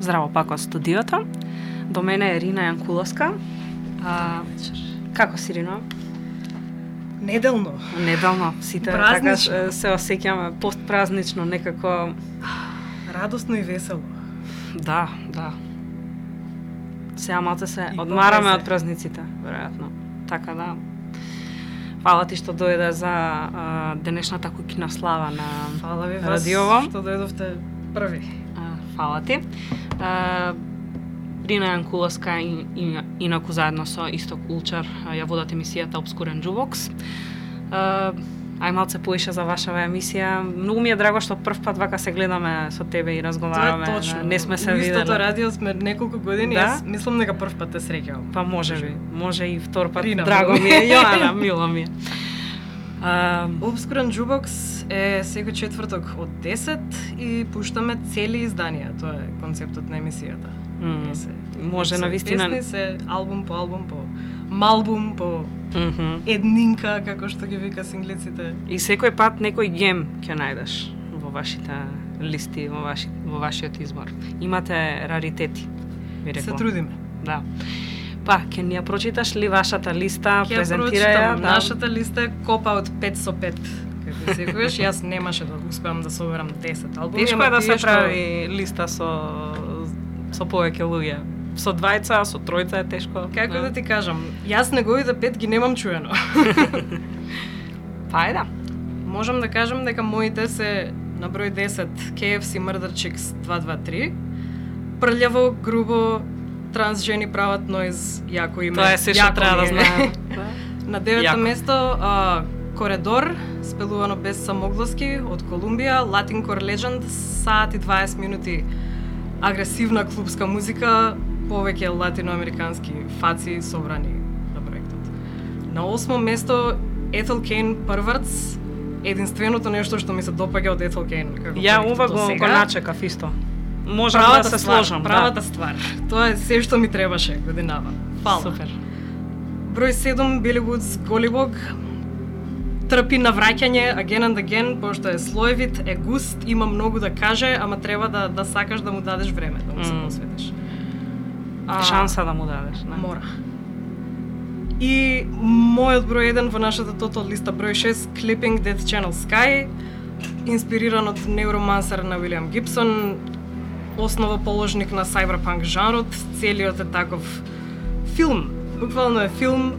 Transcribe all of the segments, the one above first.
Здраво пак од студиото. До мене е Рина Јанкуловска. Како си, Рино? Неделно. Сите празнично. Така се осеќаме постпразнично, некако Радосно и весело. Да. Сега малце се И одмараме попе се. од празниците, веројатно. Така да. Фала ти што дојде за денешната куќна слава на Фала ви вас радиово. што дојдовте први. Фала ти. Рина Јанкуловска инаку заедно со Исток Улчар ја водат емисијата Obscure Jukebox. Ај малце поише за вашава емисија. Многу ми е драго што прв пат вака се гледаме со тебе и разговараме. Тоа е точно. Не сме се У виделе. истото радио сме неколку години, Да? јас мислам дека прв пат те среќавам. Па може и втор пат. Рина, Драго мило. ми е, Јоана, мило ми е. Obscure Jukebox е секој четврток од 10 и пуштаме цели изданија. Тоа е концептот на емисијата. Може на вистина. Песни се албум по албум по малбум по еднинка, како што ги вика синглиците. И секој пат некој гем ќе најдеш во вашите листи, во вашиот избор. Имате раритети, ви Се реков. трудиме. Да. Па, ќе ни ја прочиташ ли вашата листа, Ќе презентирај ја? прочитам. Нашата листа е копа од 5 со 5. Како секогаш, јас немаше да успеам да соберам 10 албуми. Тешко ама е да тие се прави листа со повеќе луѓе. Со двајца, со тројца е тешко. Како да ти кажам, јас неговите 5 ги немам чуено. Па е да. Можам да кажам дека моите се на број 10 KFC Murder Chicks 223, прљаво, грубо, трансжени прават ноиз, јако име. Тоа е се што јако треба да ми е. знаеме. На 9-то Јако. место Коридор, спелувано без самогласки од Колумбија, Latin Core Legend, саат и 20 минути агресивна клубска музика, повеќе латиноамерикански фаци собрани на проектот. На 8-мо место Ethel Cain Perverts, единственото нешто што ми се допаѓа од Ethel Cain. Ја ова го начекав исто. Можам да се сложам. Правата ствар. Тоа е се што ми требаше годинава. Фала. Супер. Број 7 Billy Woods Голибог, трпи на враќање again and again, пошто е слоевит, е густ, има многу да каже, ама треба да сакаш да му дадеш време, да му се посветиш. Шанса да му дадеш, не? Мора. И мојот број 1 во нашата тотал листа број 6 Clipping Death Channel Sky, инспириран од Neuromancer на Уилијам Гибсон, основоположник на cyberpunk жанрот, целиот е таков филм. Буквално е филм,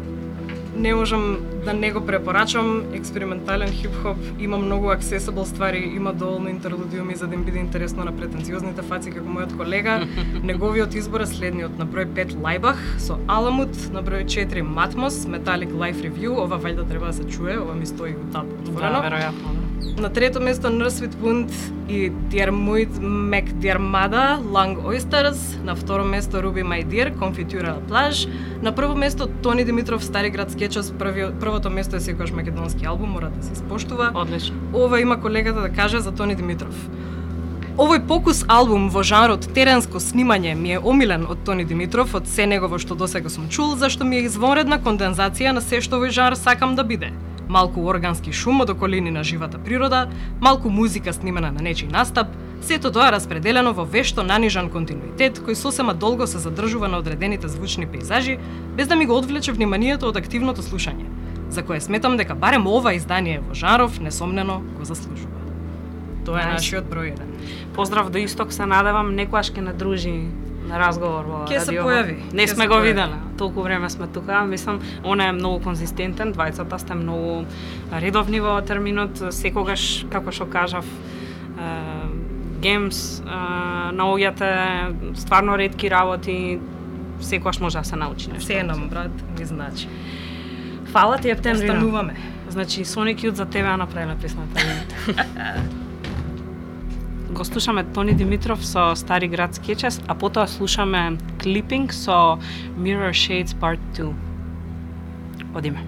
не можам да не го препорачам, експериментален хип-хоп, има многу accessible ствари, има доволно интерлудиуми за да им биде интересно на претенциозните фаци како мојот колега. Неговиот избор е следниот: на број 5 Лајбах со Аламут, на број 4 Матмос, Metallic Life Review, ова вајда треба да се чуе, ова ми стои у таб отворено. Да, веројатно, да. На трето место Nurse Wound и Diarmuid McDiarmada, Long Oysters. На второ место Ruby My Dear, Confitura Plage. На прво место Тони Димитров, Стари град скечес. Првото место е секогаш македонски албум, мора да се испоштува. Одлично. Ова има колегата да каже за Тони Димитров. Овој покус албум во жанрот теренско снимање ми е омилен од Тони Димитров, од се негово што досега сум чул, зашто ми е извонредна кондензација на се што овој жанр сакам да биде. Малку органски шум од околини на живата природа, малку музика снимена на нечи настап, сето тоа распределено во вешто нанижан континуитет кој сосема долго се задржува на одредените звучни пейзажи, без да ми го одвлече вниманието од активното слушање, за кое сметам дека барем ова издание во жанров несомнено го заслужува. Тоа е нашиот број 1. Поздрав до Исток, се надевам некојаш ќе не дружи на разговор во Ќе се радиово. појави. Не Ќе сме се го појави. виделе. Толку време сме тука. Мислам, он е многу конзистентен, двајцата сте многу редовни во терминот, секогаш, како што кажав, геймс, наоѓате стварно ретки работи, секогаш може да се научи нешто. Се нам, брат, ми значи. Фала ти, Ептември. Остануваме. Значи, Sonic Youth за тебе ја направила песната. Го слушаме Тони Димитров со Стари град скечес, а потоа слушаме Clipping со Mirror Shades Part 2. Одиме.